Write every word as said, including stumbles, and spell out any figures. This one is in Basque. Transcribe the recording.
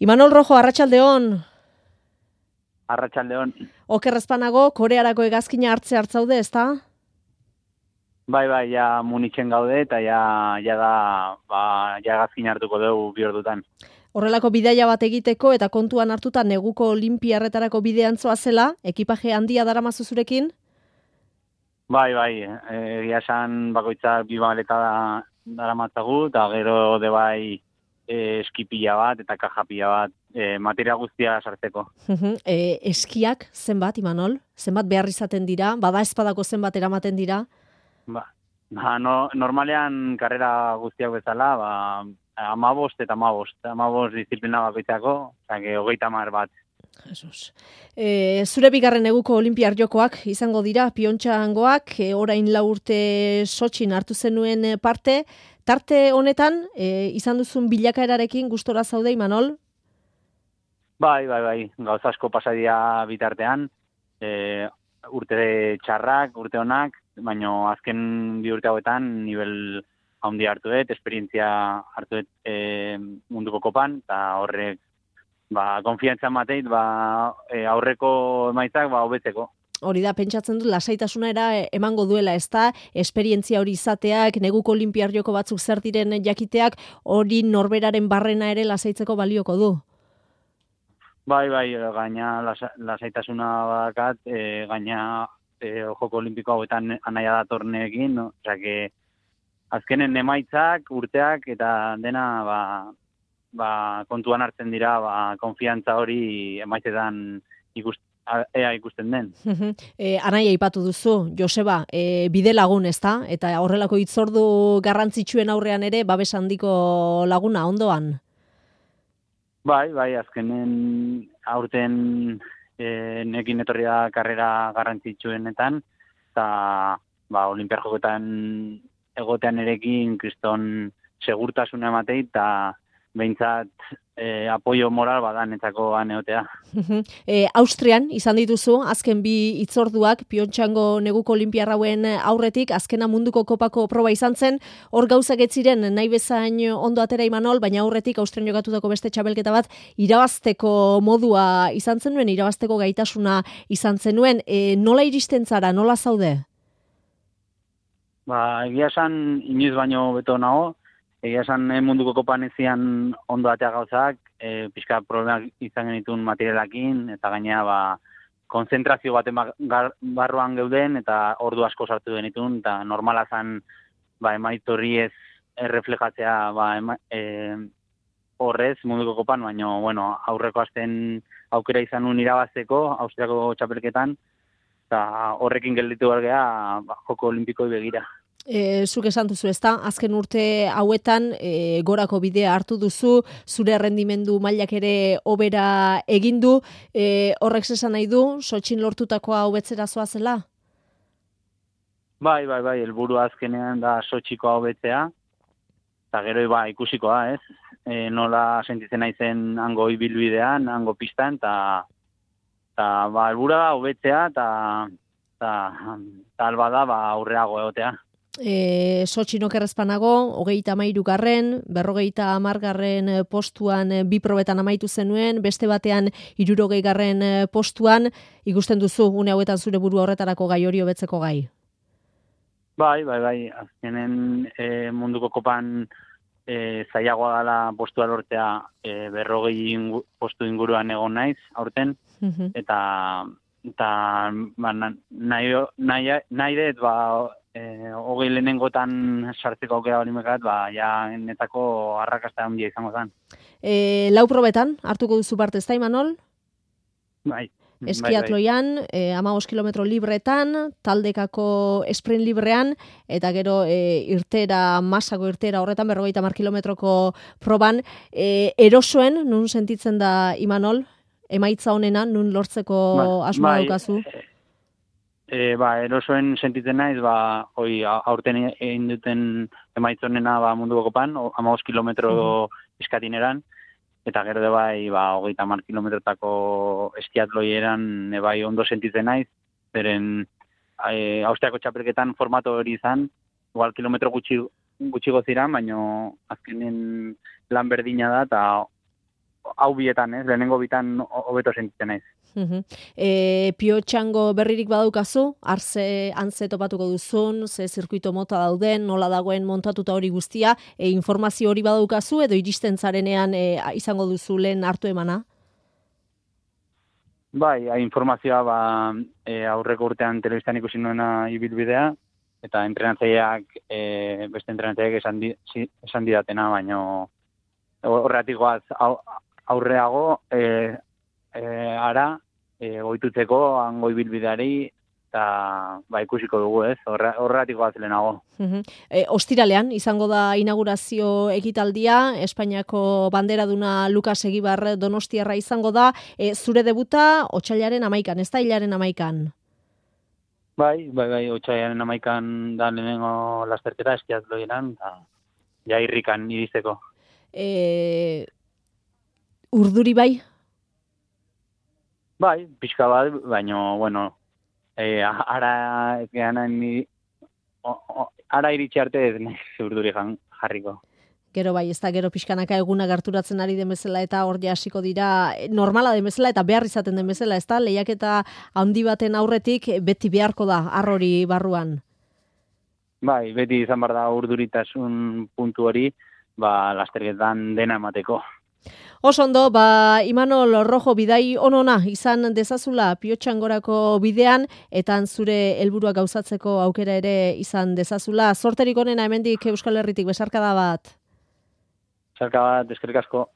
Imanol Rojo, arratsaldeon. Arratsaldeon. Oker ezpanago, Korearako hegazkina hartze hartzaude, ezta? Bai, bai, ja Munichen gaude eta ja, ja da, ba, ja hegazkina hartuko dugu bi ordutan. Horrelako bidaia bat egiteko eta kontuan hartuta neguko olinpiarretarako bidean zoazela, ekipaje handia daramazu zurekin? Bai, bai, egia esan bakoitzak bi maleta daramatzagu eta gero de bai e, eskipila bat eta kajapila bat, e, materia guztia sartzeko. e, eskiak zenbat, Imanol? Zenbat behar izaten dira? Bada espadako zenbat eramaten dira? Ba, ba no, normalean karrera guztiak bezala, ba, amabost eta amabost. Amabost disiplina bakoitzako, zake hogeita hamar bat. Jesus. E, zure bigarren eguko olinpiar jokoak izango dira, piontxangoak, e, orain lau urte Sotxin hartu zenuen parte. Tarte honetan, e, izan duzun bilakaerarekin gustora zaude, Imanol? Bai, bai, bai, gauza asko pasadia bitartean, e, urte txarrak, urte honak, baina azken bi urte hauetan nivel handi hartu dut, esperientzia hartu dut e, munduko kopan, eta horrek ba, konfiantza mateit, ba, e, aurreko emaitzak ba, hobetzeko. Hori da, pentsatzen dut, lasaitasuna era emango duela, ez da, esperientzia hori izateak, neguko olinpiar joko batzuk zer diren jakiteak, hori norberaren barrena ere lasaitzeko balioko du. Bai, bai, gaina lasa, lasaitasuna bakat, e, gaina e, joko olimpiko hauetan anaia datorneekin, no? Osea, que azkenen emaitzak, urteak, eta dena, ba, ba, kontuan hartzen dira, ba, konfiantza hori emaitzetan ikust, ea ikusten den. e, anaia ipatu duzu, Joseba, e, bide lagun, ezta? Eta horrelako hitzordu garrantzitsuen aurrean ere, babes handiko laguna, ondoan? Bai, bai, azkenen aurten e, nekin etorri da karrera garrantzitsuenetan, eta ba, olimpiar jokoetan egotean erekin kriston segurtasuna ematei, eta behintzat e, apoio moral badan etzako aneotea. e, Austrian izan dituzu, azken bi hitzorduak, piontxango neguko olimpiarrauen aurretik, azkena munduko kopako proba izan zen, hor gauzak ez ziren nahi bezain ondo atera Imanol, baina aurretik Austrian jokatutako beste txabelketa bat, irabazteko modua izan zenuen, irabazteko gaitasuna izan zenuen, e, nola iristen zara, nola zaude? Ba, egia esan, inoiz baino beto nago, egia esan eh, munduko kopan ezian ondo atea gauzak, e, pixka problemak izan genitun materialakin, eta gainea ba, konzentrazio baten barruan geuden, eta ordu asko sartu genitun, eta normala zen ba, emaitorri ez erreflejatzea ba, ema, e, horrez munduko kopan, baina bueno, aurreko asten aukera izan un irabazteko, Austriako txapelketan, eta horrekin gelditu bergea ba, joko olimpikoi begira. E, zuk esan duzu, ezta? Azken urte hauetan e, gorako bidea hartu duzu, zure errendimendu mailak ere hobera egin du, e, horrek esan nahi du, Sotxin lortutakoa hobetzera zoazela? Bai, bai, bai, helburu azkenean da Sotxikoa hobetzea, eta gero ba, ikusikoa, ez? E, nola sentitzen naizen hango ibilbidean, hango pistan, eta eta ba, helburua da hobetzea, eta alba da ba, aurreago egotea. E, Sotxin okerrezpanago, hogeita hamairu garren, berrogeita hamargarren postuan bi probetan amaitu zenuen, beste batean hirurogei garren postuan, ikusten duzu, une hauetan zure buru horretarako gai hori hobetzeko gai? Bai, bai, bai, azkenen e, munduko kopan e, zailagoa dela postua lortzea e, berrogei ingu, postu inguruan egon naiz, aurten, uh-huh. eta, eta ba, nahi, nahi, nahi dut, ba, E, hogei lehenengotan sartzeko aukera hori mekat, ba, ja, netako arrakasta handia izango zen. E, lau probetan, hartuko duzu parte, ez da, Imanol? Bai. Eskiatloian, bai, bai. E, hamabost kilometro libretan, taldekako sprint librean, eta gero e, irtera, masako irtera horretan, berrogeita hamar kilometroko proban. E, erosoen, nun sentitzen da, Imanol? Emaitza honena, nun lortzeko ba, asmoa bai, daukazu? E, ba, erosoen sentitzen naiz, ba, hoi, aurten egin duten emaitzonena ba, munduko kopan, hamabost kilometro uh-huh. eskatineran, eta gero de bai, ba, hogeita hamar kilometrotako eskiatloieran e, bai ondo sentitzen naiz, beren e, Austriako txapelketan formato hori izan, igual kilometro gutxi, gutxi goziran, baina azkenen lan berdina da, eta hau bietan, ez, lehenengo bitan hobeto sentitzen naiz. Uhum. E, Pio Txango berririk badaukazu, arze antze topatuko duzun, ze zirkuito mota dauden, nola dagoen montatuta hori guztia, e, informazio hori badaukazu edo iristen zarenean e, izango duzu lehen hartu emana? Bai, informazioa ba, e, aurreko urtean telebistan ikusi nuena ibilbidea, eta entrenatzaileak, e, beste entrenatzaileak esan, di, esan didatena, baina horretik goaz aurreago, e, e, ara, e, goitutzeko hango ibilbideari, eta ba, ikusiko dugu, ez, horretik goaz lehenago. Uhum. E, ostiralean, izango da inaugurazio ekitaldia, Espainiako banderaduna Lukas Egibar Donostiarra izango da, e, zure debuta otsailaren amaikan, ez da hilaren amaikan? Bai, bai, bai, otsailaren amaikan da lehenengo lasterketa eskiatloieran, eta ja irrikan iristeko. E, urduri bai? Bai, pixka bat, baina, bueno, e, ara, ni, o, o, ara iritsi arte ez nahi urduri jarriko. Gero bai, ez da gero pixkanaka eguna gerturatzen ari den bezala eta hor hasiko dira normala den bezala eta behar izaten den bezala, ez da? Lehiaketa handi baten aurretik beti beharko da arrori barruan. Bai, beti izan behar da urduritasun puntu hori, ba, lasterketan dena emateko. Oso ondo, ba, Imanol Rojo bidai onona izan dezazula Pio Txangorako bidean, eta zure helburua gauzatzeko aukera ere izan dezazula. Zorterik onena hemendik Euskal Herritik, besarkada bat. Besarkada bat, eskerrik asko.